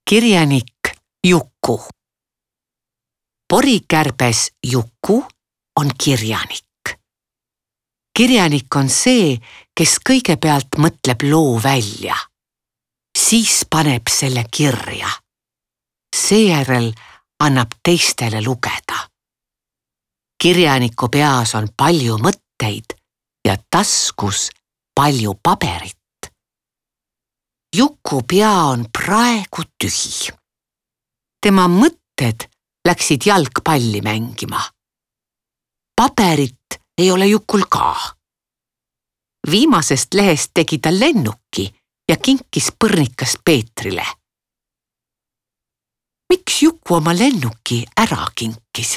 Kirjanik Juku. Porikärbes Juku on kirjanik. Kirjanik on see, kes kõigepealt mõtleb loo välja. Siis paneb selle kirja. Seejärel annab teistele lugeda. Kirjaniku peas on palju mõtteid ja taskus palju paberit. Juku pea on praegu tühi. Tema mõtted läksid jalgpalli mängima. Paberit ei ole Jukul ka. Viimasest lehest tegi ta lennuki ja kinkis põrnikast Peetrile. Miks Juku oma lennuki ära kinkis?